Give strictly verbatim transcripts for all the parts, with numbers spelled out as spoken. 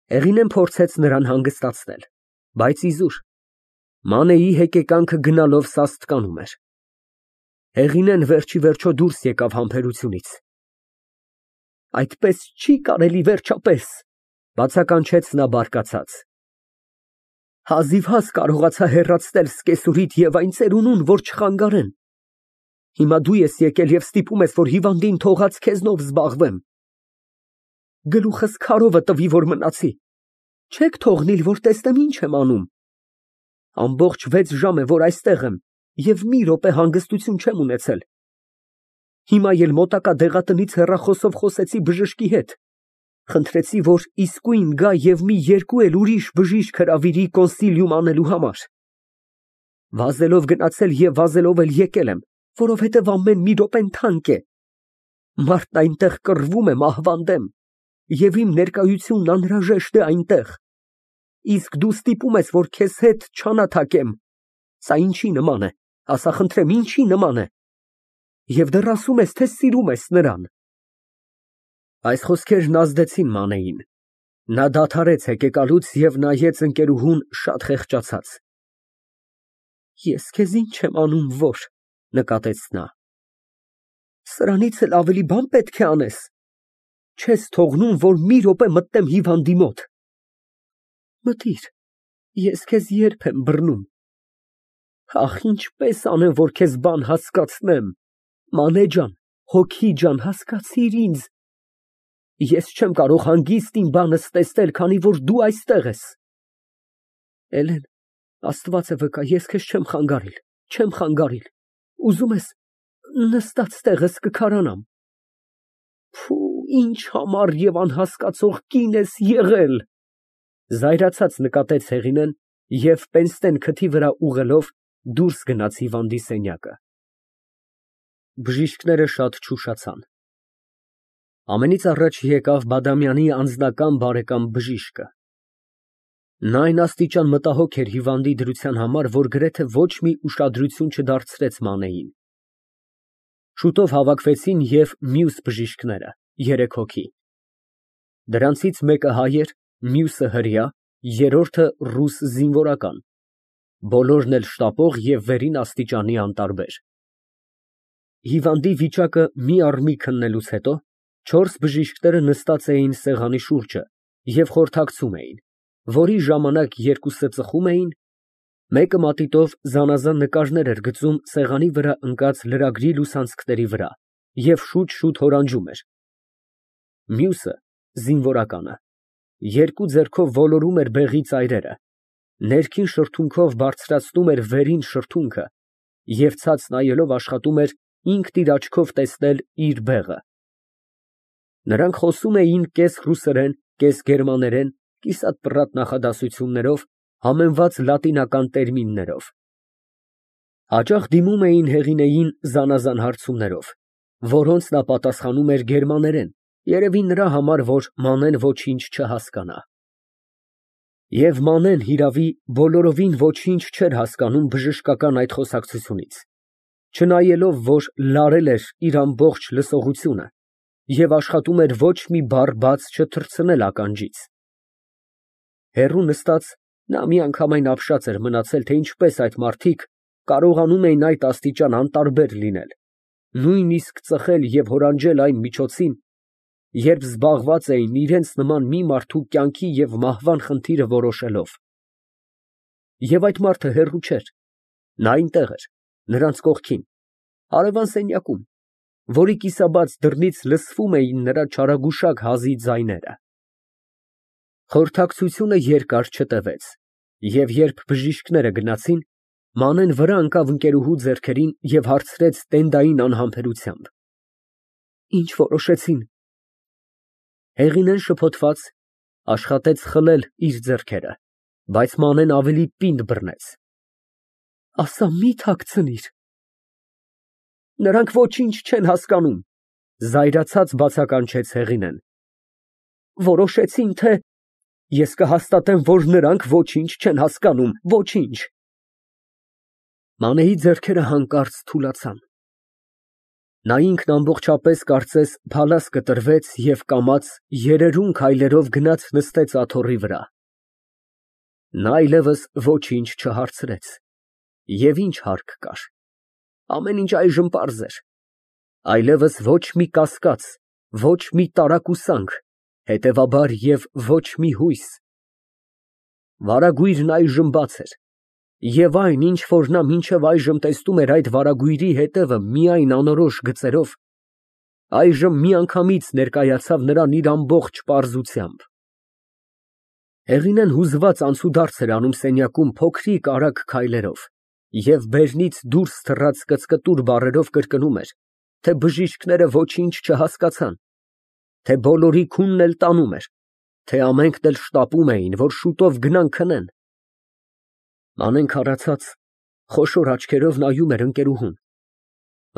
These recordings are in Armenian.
Հեղինեն փորձեց նրան հանգստացնել, բայց իզուր, Մանեի հեկեկանքը գնալով սաստկանում էր։ Հեղինեն վերջիվերջո դուրս եկավ համբերությունից։ Այդպես չի կարելի վերջապես, բացականչեց նա բարկացած։ Հազիվհազ կարողացա հեռացնել սկեսուրիդ և այն ծերունուն, որ չխանգարեն։ Հիմա դու ես եկել և ստիպում ես, որ հիվանդին թողած քեզնով զբաղվեմ։ Գլուխս քարովը տվի, որ մնացի։ Չեք թողնիլ, որ տեսնեմ ինչ եմ անում։ Ամբողջ վեց ժամ է, որ այստեղ եմ և մի րոպե հանգստություն չեմ ունեցել։ Հիմա էլ մոտակա դեղատնից հեռախոսով խոսեցի բժշկի հետ։ Խնդրեցի, որ իսկույն գա և մի երկու էլ ուրիշ բժիշկ հրավիրի կոնսիլիում անելու համար։ Վազելով գնացել և վազելով էլ եկել եմ, որովհետև ամեն մի րոպեն թանկ է։ Մարդն այնտեղ կռվում է մահվան դեմ, և իմ ներկայությունն անհրաժեշտ է այնտեղ։ Իսկ դու ստիպում ես, որ քեզ հետ չանաթակեմ։ Սա ինչի նման է, ասա խնդրեմ, ինչի նման է։ Եվ դեռ ասում ես, թե սիրում ես նրան։ Այս խոսքերն ազդեցին Մանեին։ Նա դադարեց հեկեկալուց և նայեց ընկերուհուն շատ խեղճացած։ Ես քեզ ինչ եմ անում, որ, նկատեց նա։ Սրանից էլ ավելի բան պետք է անես։ Չես թողնում, որ մի րոպե մտնեմ հիվանդի մոտ։ Մտիր, ես քեզ երբ եմ բռնում։ Ախ, ինչպես անեմ, որ քեզ բան հասկացնեմ։ Մանե ջան, հոգի ջան, հասկացիր ինձ։ Ես չեմ կարող հանգիստ իմ բանս տեսնել, քանի որ դու այստեղ ես։ Էլեն, Աստված է վկա, ես քեզ չեմ խանգարիլ, չեմ խանգարիլ։ Ուզում ես, նստած տեղս կքարանամ։ Փու, ինչ համառ և անհասկացող կին ես եղել։ Զայրացած նկատեց Հեղինեն և պենսնեն քթի վրա ուղղելով դուրս գնաց հիվանդի սենյակը։ Բժիշկները շատ չուշացան։ Ամենից առաջ եկավ Բադամյանի անձնական բարեկամ բժիշկը։ Նա այն աստիճան մտահոգ էր հիվանդի դրության համար, որ գրեթե ոչ մի ուշադրություն չդարձրեց Մանեին։ Շուտով հավաքվեցին և մյուս բժիշկները, երեք հոգի։ Դրանցից մեկը հայ էր, մյուսը հրեա, երրորդը ռուս զինվորական, բոլորն էլ շտապող և վերին աստիճանի անտարբեր։ Հիվանդի վիճակը մի առ մի քննելուց հետո չորս բժիշկները նստած էին սեղանի շուրջը և խորհրդակցում էին, որի ժամանակ երկուսը ծխում էին, մեկը մատիտով զանազան նկարներ էր գծում սեղանի վրա ընկած լրագրի լուսանցքների վրա և շուտ֊շուտ հորանջում էր, մյուսը զինվորականը երկու ձեռքով ոլորում էր բեղի ծայրերը, ներքին շրթունքով բարձրացնում էր վերին շրթունքը և ցած նայելով աշխատում էր ինքն իր աչքով տեսնել իր բեղը։ Նրանք խոսում էին կես ռուսերեն, կես գերմաներեն, կիսատ֊պռատ նախադասություններով, համեմված լատինական տերմիններով։ Հաճախ դիմում էին Հեղինեին զանազան հարցումներով, որոնց նա պատասխանում էր գերմաներեն, երևի նրա համար, որ Մանեն ոչինչ չհասկանա։ Եվ Մանեն, հիրավի, բոլորովին ոչինչ չէր հասկանում բժշկական այդ խոսակցությունից, չնայելով, որ լարել էր իր ամբողջ լսողությունը և աշխատում էր ոչ մի բառ բաց չթռցնել ականջից։ Հեռու նստած, նա միանգամայն ապշած էր մնացել, թե ինչպես այդ մարդիկ կարողանում էին այդ աստիճան անտարբեր լինել, նույնիսկ ծխել և հորանջել այն միջոցին, երբ զբաղված էին իրենց նման մի մարդու կյանքի և մահվան խնդիրը որոշելով։ Եվ այդ մարդը հեռու չէր, նա այնտեղ էր, նրանց կողքին, հարևան սենյակում, որի կիսաբաց դռնից լսվում էին նրա չարագուշակ հազի ձայները։ Խորհրդակցությունը երկար չտևեց, և երբ բժիշկները գնացին, Մանեն վրա ընկավ ընկերուհու ձեռքերին և հարցրեց տենդային անհամբերությամբ. Ինչ որոշեցին։ Հեղինեն շփոթված, աշխատեց խլել իր ձեռքերը, բայց Մանեն ավելի պինդ բռնեց։ Ասա, մի թաքցնիր։ Նրանք ոչինչ չեն հասկանում, զայրացած բացականչեց Հեղինեն։ Որոշեցին, թե… Ես կհաստատեմ, որ նրանք ոչինչ չեն հասկանում, ոչինչ։ Մանեի ձեռքերը հանկարծ թուլացան։ Նա ինքն ամբողջապես կարծես փալաս կտրվեց և կամաց երերուն քայլերով գնաց նստեց աթոռի վրա։ Նա այլևս ոչինչ չհարցրեց, և ինչ հարկ կար, ամեն ինչ այժմ պարզ էր, այլևս ոչ մի կասկած, ոչ մի տարակուսանք, հետևաբար և ոչ մի հույս։ Վարագույրն այժմ բաց էր, և այն, ինչ որ նա մինչև այժմ տեսնում էր այդ վարագույրի հետևը միայն անորոշ գծերով, այժմ միանգամից ներկայացավ նրան իր ամբողջ պարզությամբ։ Հեղինեն հուզված անցուդարձ էր անում սենյակում փոքրիկ արագ քայլերով և բերնից դուրս թռած կծկտուր բառերով կրկնում էր, թե բժիշկները ոչինչ չհասկացան, թե բոլորի քունն էլ տանում էր, թե ամենքն էլ շտապում էին, որ շուտով գնան քնեն։ Մանեն քարացած, խոշոր աչքերով նայում էր ընկերուհուն,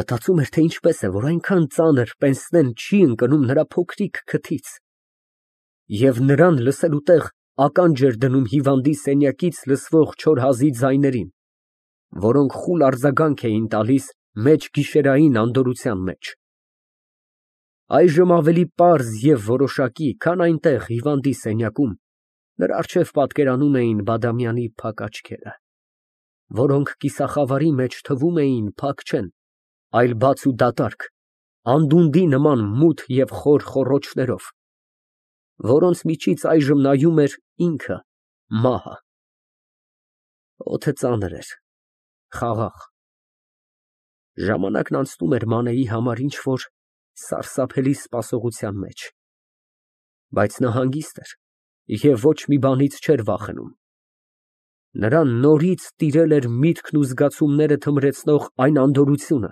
մտածում էր, թե ինչպես է, որ այնքան ծանր պենսնեն չի ընկնում նրա փոքրիկ քթից, և նրան լսելու տեղ ականջ էր դնում հիվանդի սենյակից լսվող չոր հազի ձայներին, որոնք խուլ արձագանք էին տալիս մեջգիշերային անդորրության մեջ։ Այժմ ավելի պարզ և որոշակի, քան այնտեղ հիվանդի սենյակում, նրա առջև պատկերանում էին Բադամյանի փակ աչքերը, որոնք կիսախավարի մեջ թվում էին փակ չեն, այլ բաց ու դատարկ, անդունդի նման մութ և խոր խոռոչներով, որոնց միջից այժմ նայում էր ինքը, մահը։ Օդը ծանր էր, խաղաղ։ Ժամանակն անցնում էր Մանեի համար ինչ֊որ սարսափելի սպասողության մեջ, բայց նա հանգիստ էր և ոչ մի բանից չէր վախենում։ Նրան նորից տիրել էր միտքն ու զգացումները թմրեցնող այն անդորրությունը,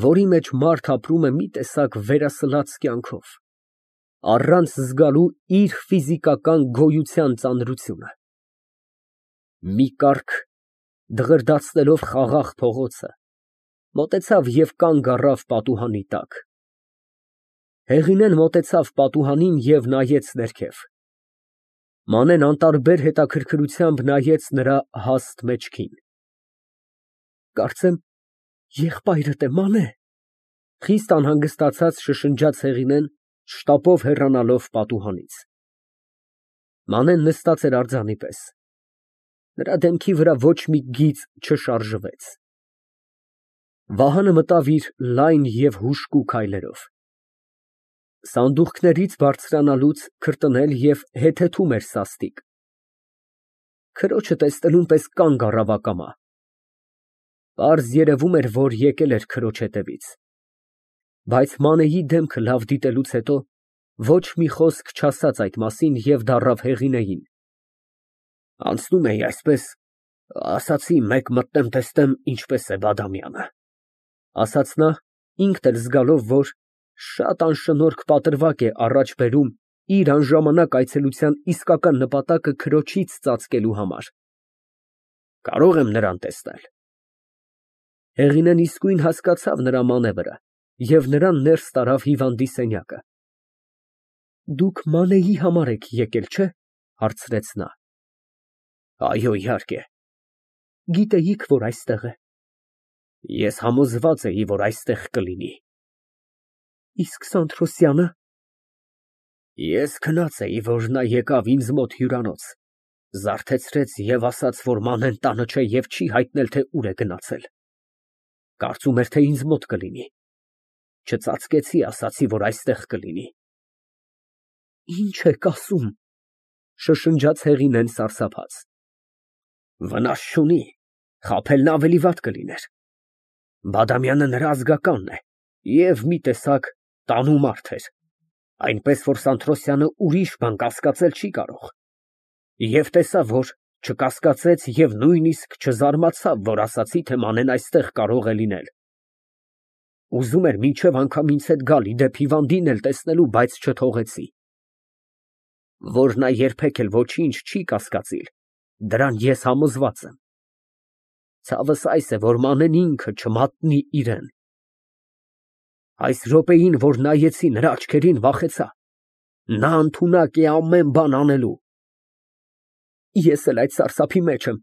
որի մեջ մարդ ապրում է մի տեսակ վերասլաց կյանքով, առանց զգալու իր ֆիզիկական գոյության ծանրությունը։ Մի կառք, դղրդացնելով խաղաղ փողոցը, մոտեցավ և կանգ առավ պատուհանի տակ։ Հեղինեն մոտեցավ պատուհանին և նայեց ներքև։ Մանեն անտարբեր հետաքրքրությամբ նայեց նրա հաստ մեջքին։ Կարծեմ, եղբայրդ է, Մանե, ֊ խիստ անհանգստացած շշնջաց Հեղինեն, շտապով հեռանալով պատուհանից։ Մանեն նստած էր արձանի պես։ Նրա դեմքի վրա ոչ մի գիծ չշարժվեց։ Վահանը մտավ իր լայն և հուժկու քայլերով։ Սանդուղքներից բարձրանալուց քրտնել և հեթեթում էր սաստիկ։ Քրոջը տեսնելուն պես կանգ առավ ակամա։ Պարզ երևում էր, որ եկել էր քրոջ հետևից, բայց Մանեի դեմքը լավ դիտելուց հետո ոչ մի խոսք չասաց այդ մասին և դառավ Հեղինեին։ Անցնում էի այսպես, ասացի մեկ մտնեմ տեսնեմ ինչպես է Բադամյանը, ֊ ասաց նա, ինքն էլ զգալով, որ շատ անշնորհք պատրվակ է առաջ բերում իր անժամանակ այցելության իսկական նպատակը քրոջից ծածկելու համար։ Կարո՞ղ եմ նրան տեսնել։ Հեղինեն իսկույն հասկացավ նրա մանևրը և նրան ներս տարավ հիվանդի սենյակը։ Դուք Մանեի համար եք եկել, չէ՞, ֊ հարցրեց նա։ Այո, իհարկե։ Գիտեիք, որ այստեղ է։ Ես համոզված էի, որ այստեղ կլինի։ Իսկ Սանթրոսյա՞նը։ Ես քնած էի, որ նա եկավ ինձ մոտ հյուրանոց, զարթեցրեց և ասաց, որ Մանեն տանը չէ և չի հայտնել, թե ուր է գնացել։ Կարծում էր, թե ինձ մոտ կլինի։ Չծածկեցի, ասացի, որ այստեղ կլինի։ Ինչ եք ասում, ֊ շշնջաց Հեղինեն սարսափած։ Վնաս չունի, խաբելն ավելի վատ կլիներ։ Բադամյանը նրա ազգականն է և մի տեսակ տանու մարդ էր, այնպես որ Սանթրոսյանը ուրիշ բան կասկածել չի կարող։ Եվ տեսա, որ չկասկածեց և նույնիսկ չզարմացավ, որ ասացի, թե Մանեն այստեղ կարող է լինել։ Ուզում էր մինչև անգամ ինձ հետ գալ, ի դեպ հիվանդին էլ տեսնելու, բայց չթողեցի։ Որ նա երբեք էլ ոչինչ չի կասկածիլ, դրան ես համոզված եմ։ Ցավս այս է, որ Մանեն ինքը չմատնի իրան։ Այս րոպեին, որ նայեցի նրա աչքերին, վախեցա։ Նա ընդունակ է ամեն բան անելու։ Ես էլ այդ սարսափի մեջ եմ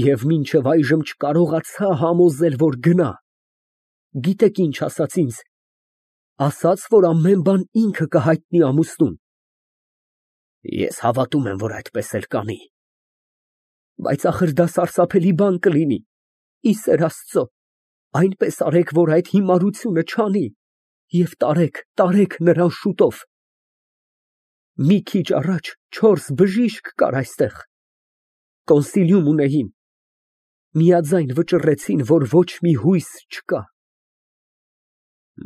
և մինչև այժմ չկարողացա համոզել, որ գնա։ Գիտեք ինչ ասաց ինձ։ Ասաց, որ ամեն բան ինքը կհայտնի ամուսնուն։ Ես հավատում եմ, որ այդպես էլ կանի։ Բայց ախր դա սարսափելի բան կլինի։ Ի սեր Աստծո, այնպես արեք, որ այդ հիմարությունը չանի, և տարեք, տարեք նրան շուտով։ Մի քիչ առաջ չորս բժիշկ կար այստեղ, կոնսիլիում ունեին, միաձայն վճռեցին, որ ոչ մի հույս չկա։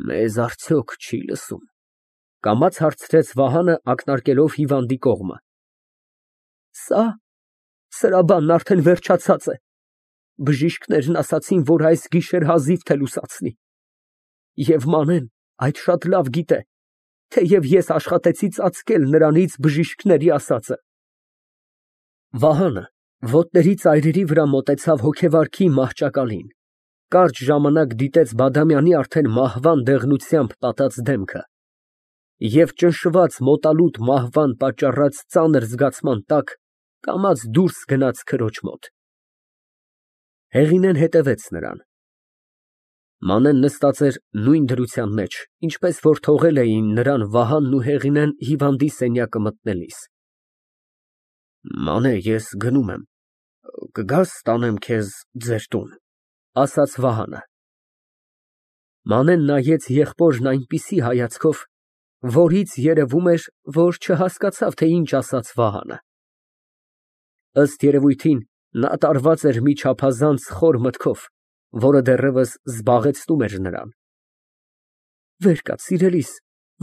Մեզ արդյոք չի լսում, կամաց հարցրեց Վահանը, ակնարկելով հիվանդի կողմը։ Սա, սրա բանն արդեն վերջացած է։ Բժիշկներն ասացին, որ այս գիշեր հազիվ թե լուսացնի։ Եվ Մանեն այդ շատ լավ գիտե, թեև ես աշխատեցի ծածկել նրանից բժիշկների ասածը։ Վահանը ոտների ծայրերի վրա մոտեցավ հոգեվարքի մահճակալին, կարճ ժամանակ դիտեց Բադամյանի արդեն մահվան դեղնությամբ պատած դեմքը և ճնշված մոտալուտ մահվան պատճառած ծանր զգացման տակ կամաց դուրս գնաց քրոջ մոտ։ Հեղինեն հետևեց նրան։ Մանեն նստած էր նույն դրության մեջ, ինչպես որ թողել էին նրան Վահանն ու Հեղինեն հիվանդի սենյակը մտնելիս։ Մանե, ես գնում եմ, կգա՞ս տանեմ քեզ ձեր տուն, ասաց Վահանը։ Մանեն նայեց եղբորն այնպիսի հայացքով, որից երևում էր, որ չհասկացավ, թե ինչ ասաց Վահանը։ Ըստ երևույթին, նա տարված էր մի չափազանց խոր մտքով, որը դեռևս զբաղեցնում էր նրան։ Վեր կաց, սիրելիս,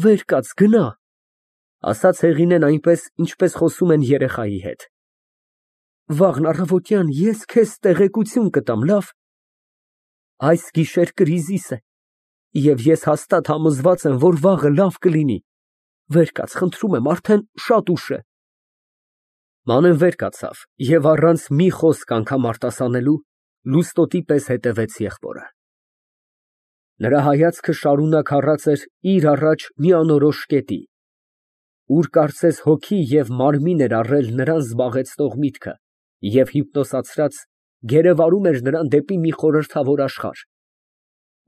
վեր կաց, գնա, ասաց Հեղինեն այնպես, ինչպես խոսում են երեխայի հետ։ Վաղն առավոտյան ես քեզ տեղեկություն կտամ, լավ։ Այս գիշեր կրիզիս է, և ես հաստատ համոզված եմ, որ վաղը լավ կլինի։ Վեր կաց, խնդրում եմ, արդեն շատ ուշ է։ Մանեն վեր կացավ և առանց մի խոսք անգամ արտասանելու լուստոտի պես հետևեց եղբորը։ Նրա հայացքը շարունակ առած էր իր առաջ մի անորոշ կետի, ուր կարծես հոգի և մարմին էր առել նրան զբաղեցնող միտքը և հիպնոսացրած գերեվարում էր նրան դեպի մի խորհրդավոր աշխարհ,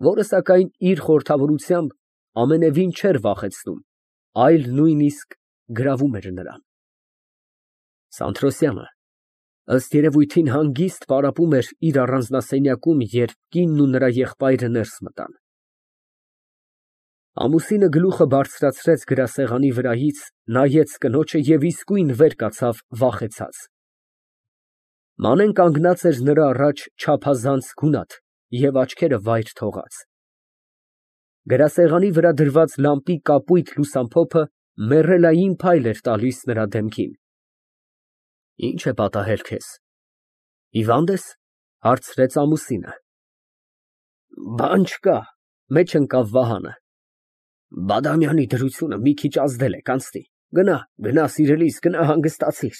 որը, սակայն, իր խորհրդավորությամբ ամենևին չէր վախեցնում, այլ նույնիսկ գրավում էր նրան։ Սանթրոսյանը, ըստ երևույթին, հանգիստ պարապում էր իր առանձնասենյակում, երբ կինն ու նրա եղբայրը ներս մտան։ Ամուսինը գլուխը բարձրացրեց գրասեղանի վրայից, նայեց կնոջը և իսկույն վեր կացավ վախեցած։ Մանեն կանգնած էր նրա առաջ չափազանց գունատ և աչքերը վայր թողած։ Գրասեղանի վրա դրված լամպի կապույտ լուսամփոփը մեռելային փայլ էր տալիս նրա դեմքին։ Ի՞նչ է պատահել քեզ, հիվա՞նդ ես, հարցրեց ամուսինը։ Բան չկա, մեջ ընկավ Վահանը։ Բադամյանի դրությունը մի քիչ ազդել է, կանցնի, գնա, գնա, սիրելիս, գնա հանգստացիր,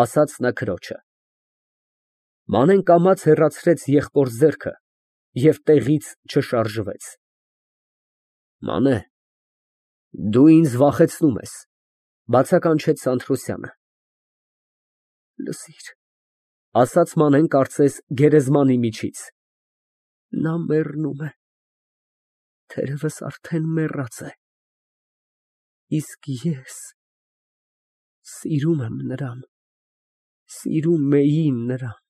ասաց նա քրոջը։ Մանեն կամաց հեռացրեց եղբոր ձեռքը և տեղից չշարժվեց։ Մանե, դու ինձ վախեցնում ես, բացականչեց Սանթրոսյանը։ Լսիր, ասաց Մանեն, կարծես գերեզմանի միջից, նա մեռնում է, թերևս արդեն մեռած է, իսկ ես սիրում եմ նրան, սիրում էի նրան։